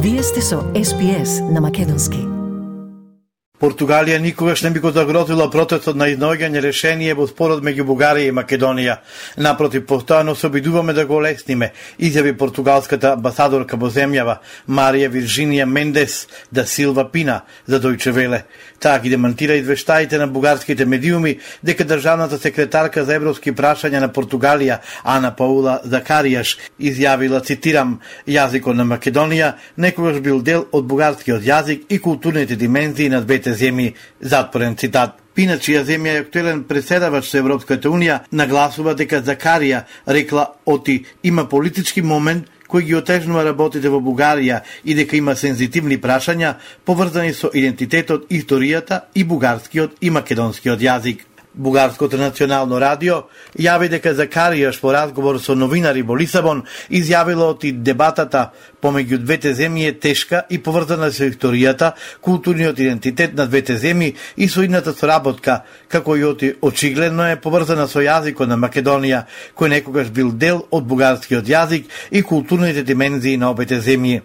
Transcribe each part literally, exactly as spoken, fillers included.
Вие сте со Ес Би Ес на македонски. Португалија никогаш не би го загрозила процесот на изнаоѓање решение во спорот меѓу Бугарија и Македонија. Напротив, постојано се обидуваме да го олесниме, изјави португалската амбасадорка во земјава Марија Виржинија Мендес да Силва Пина за Дојче Веле. Таа ги демантира извештаите на бугарските медиуми дека државната секретарка за европски прашања на Португалија Ана Паула Закаријаш изјавила, цитирам: "Јазикот на Македонија некогаш бил дел од бугарскиот јазик и културните димензии на двете земји", затворен цитат. Пина, чија земја е актуелен преседавач со Европската унија, нагласува дека Закарија рекла оти има политички момент кој ги отежнува работите во Бугарија и дека има сензитивни прашања поврзани со идентитетот, историјата и бугарскиот и македонскиот јазик. Бугарското национално радио јави дека Закаријаш во разговор со новинари во Лисабон изјавила оти дебатата помеѓу двете земји е тешка и поврзана со историјата, културниот идентитет на двете земји и со идната соработка, како и оти очигледно е поврзана со јазикот на Македонија, кој некогаш бил дел од бугарскиот јазик и културните димензии на обете земји.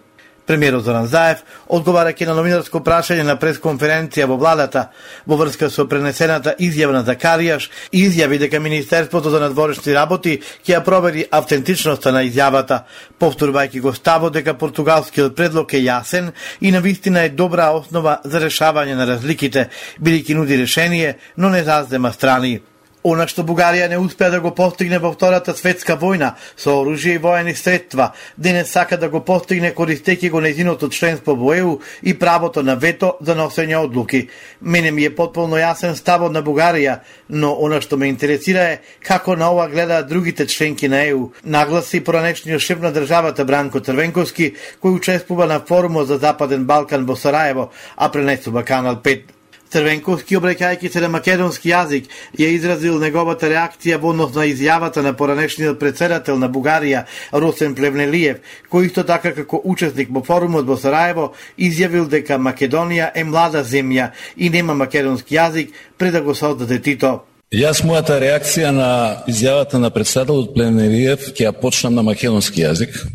Премиерот Зоран Заев, одговарајќи на новинарско прашање на пресконференција во владата во врска со пренесената изјава на Закаријаш, изјави дека Министерството за надворешни работи ќе ја провери автентичноста на изјавата, повторувајќи го ставот дека португалскиот предлог е јасен и навистина е добра основа за решавање на разликите, бидејќи нуди решение, но не заздема страни. Она што Бугарија не успеа да го постигне во Втората светска војна со оружје и воени средства, денес сака да го постигне користејќи го нејзиното членство во Е У и правото на вето за носење одлуки. Мене ми е потполно јасен ставот на Бугарија, но она што ме интересира е како на ова гледаат другите членки на Е У, нагласи поранешниот шеф на државата Бранко Црвенковски, кој учествува на форумот за Западен Балкан во Сараево, а пренесува Канал пет. Црвенковски, обраќајќи се на македонски јазик, ја изразил неговата реакција во однос на изјавата на поранешниот председател на Бугарија Росен Плевнелиев, кој исто така како учесник во форумот во Сараево изјавил дека Македонија е млада земја и нема македонски јазик пред да го создаде Тито. Јас мојата реакција на изјавата на председателот Плевнелиев ќе ја почнам на македонски јазик,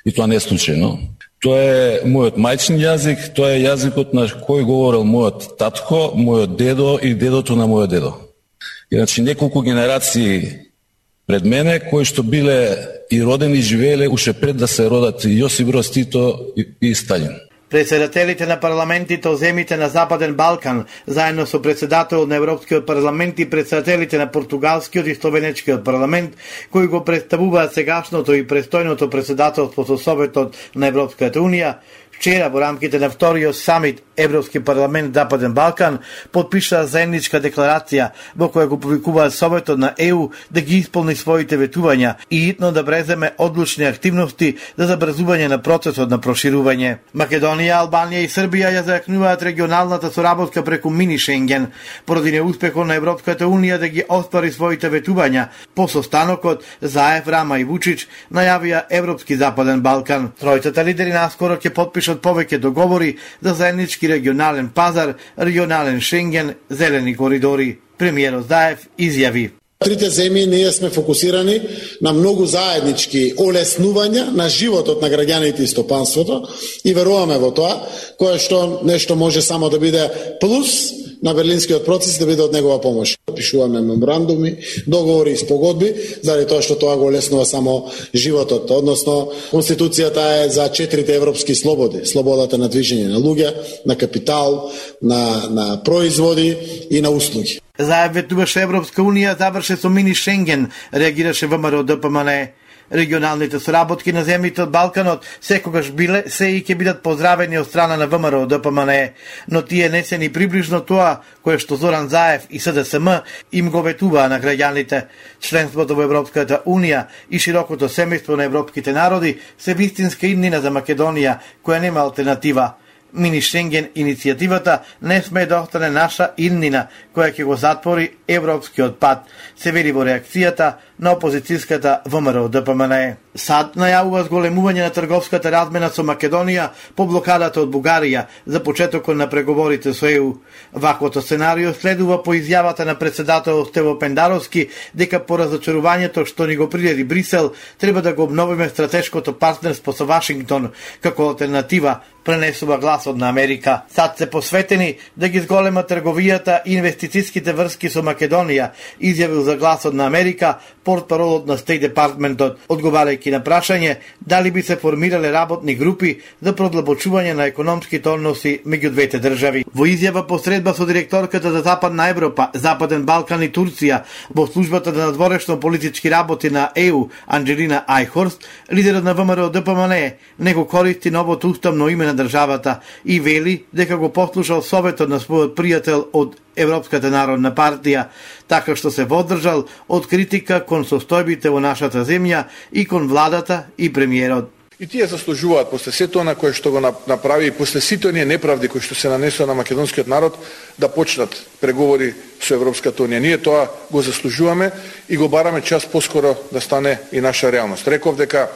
и тоа не е случајно. Тоа е мојот мајчин јазик, тоа е јазикот на кој говорел мојот татко, мојот дедо и дедото на мојот дедо. Иначе неколку генерации пред мене, кои што биле и родени и живееле уште пред да се родат Јосип Броз Тито и Сталин. Председателите на парламентите од земјите на Западен Балкан, заедно со председателот на Европскиот парламент и председателите на Португалскиот и Словенечкиот парламент, кои го представуваат сегашното и престојното председателство со Советот на Европската унија, вчера во рамките на вториот самит Европски парламент Западен Балкан потпишаа заедничка декларација во која го повикуваат Советот на Е У да ги исполни своите ветувања и итно да преземе одлучни активности за забрзување на процесот на проширување. Македонија, Албанија и Србија ја зајакнуваат регионалната соработка преку мини Шенген, поради неуспехот на Европската унија да ги оствари своите ветувања. По состанокот Заев, Рама и Вучич најавија Европски Западен Балкан. Тројцата лидери наскоро ќе потпишат повеќе договори за заеднички регионален пазар, регионален Шенген, зелени коридори. Премиерот Заев изјави: Трите земји ние сме фокусирани на многу заеднички олеснувања на животот на граѓаните и стопанството и веруваме во тоа, кое што нешто може само да биде плюс на Берлинскиот процес, да биде од негова помош. Пишуваме меморандуми, договори и спогодби, заради тоа што тоа го олеснува само животот, односно Конституцијата е за четирите европски слободи, слободата на движење на луѓе, на капитал, на на производи и на услуги. Заев ветуваше Европска унија, заврше со мини Шенген, реагираше ВМРО Д П М Н Е. Регионалните соработки на земјите од Балканот секогаш биле, се и ќе бидат поздравени од страна на ВМРО Д П М Н Е, но тие не се ни приближно тоа кое што Зоран Заев и С Д С М им го ветуваа на граѓаните. Членството во Европската унија и широкото семејство на европските народи се вистинска иднина за Македонија, која нема алтернатива. Мини Шенген иницијативата не сме да остане наша иднина, која ќе го затвори европскиот пат, се вели во реакцијата на опозицијската ВМРО Д П М Н Е. САД најавува зголемување на трговската размена со Македонија по блокадата од Бугарија за почетокот на преговорите со Е У. Ваквото сценарио следува по изјавата на председател Стево Пендаровски дека по разочарувањето што ни го приреди Брисел треба да го обновиме стратешкото партнерство со Вашингтон како алтернатива, пренесува гласот на Америка. САД се посветени да ги зголема трговијата и инвестицијските врски со Македонија, изјавил за гласот на Америка портпаролот на Стејт Департментот, одговарајќи на прашање дали би се формирале работни групи за продлабочување на економските односи меѓу двете држави. Во изјава посредба со директорката за Западна Европа, Западен Балкан и Турција во службата за надворешно политички работи на Е У, Анџелина Ајхорст, лидерот на ВМРО Д П М Н Е не го користи новото уставно име на државата и вели дека го послушал советот на својот пријател од Европската народна партија, така што се водржал од критика кон состојбите во нашата земја и кон владата и премиерот. И тие заслужуваат после сето она кое што го направи и после сите оние неправди кои што се нанесоа на македонскиот народ да почнат преговори со Европската унија. Ние тоа го заслужуваме и го бараме час поскоро да стане и наша реалност. Реков дека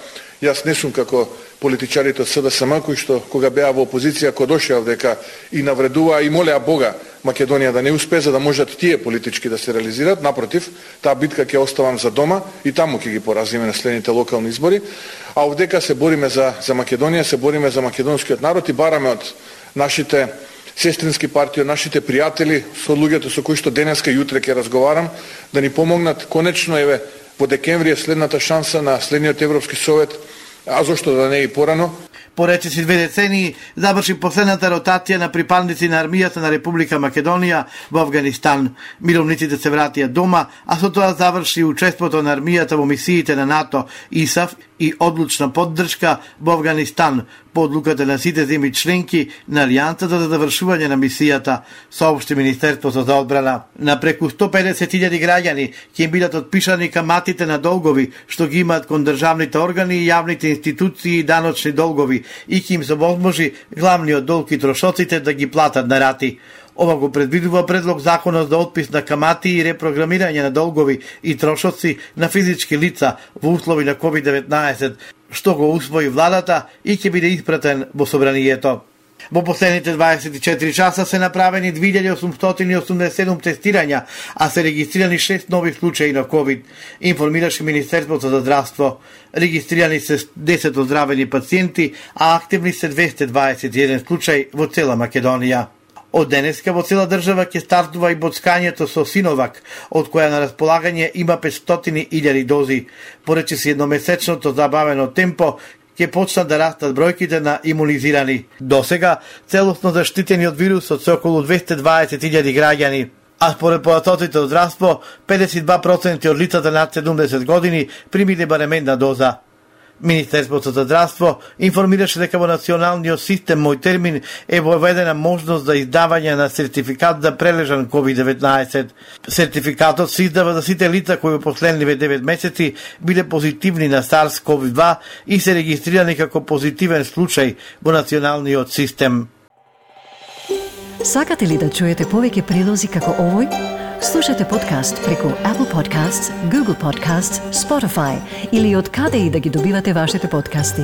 јас не сум како политичарите од С D S M кои што кога беа во опозиција кога дошеа дека и навредуваа и молеа Бога Македонија да не успее за да можат тие политички да се реализираат. Напротив, таа битка ќе оставам за дома и таму ќе ги поразиме на следните локални избори. А овдека се бориме за за Македонија, се бориме за македонскиот народ и бараме од нашите сестрински партии, од нашите пријатели, со луѓето со кои што денеска и утре ќе разговарам, да ни помогнат конечно еве во декември е следната шанса на следниот Европски совет, а зошто да не и порано. По речиси две децении заврши последната ротација на припадници на армијата на Република Македонија во Авганистан. Мировниците се вратија дома, а со тоа заврши учеството на армијата во мисиите на НАТО, И С А Ф и одлучна поддршка во Авганистан по одлуката на сите земји членки на Алијансата за завршување на мисијата, соопшти Министерството за одбрана. На преку сто педесет илјади граѓани ќе им бидат отпишани каматите на долгови што ги имаат кон државните органи и јавните институции и даночни долгови и ќе им се возможи главниот долг и трошоците да ги платат на рати. Ова го предвидува предлог законот за отпис на камати и репрограмирање на долгови и трошоци на физички лица во услови на ковид деветнаесет, што го усвои владата и ќе биде испратен во собранието. Во последните дваесет и четири часа се направени две илјади осумстотини и осумдесет и седум тестирања, а се регистрирани шест нови случаи на ковид, информираше Министерството за здравство. Регистрирани се десет оздравени пациенти, а активни се двесте дваесет и еден случаи во цела Македонија. Од денеска во цела држава ќе стартува и боцкањето со Синовак, од која на располагање има петстотини илјади дози. Поречиси едномесечното забавено темпо, ќе почнат да растат бројките на имунизирани. Досега, целосно заштитени од вирусот се околу двесте и дваесет илјади граѓани, а според податоците од здравство, педесет и два проценти од лицата над седумдесет години примиле барем една доза. Министерството за здравство информираше дека во националниот систем Мој термин е воведена можност за издавање на сертификат за прележан ковид деветнаесет. Сертификатот се издава за сите лица кои во последниве девет месеци биле позитивни на SARS-C o V два и се регистрирани како позитивен случај во националниот систем. Сакате ли да чуете повеќе прилози како овој? Слушате подкаст преку Apple Podcasts, Google Podcasts, Spotify или од каде и да ги добивате вашите подкасти.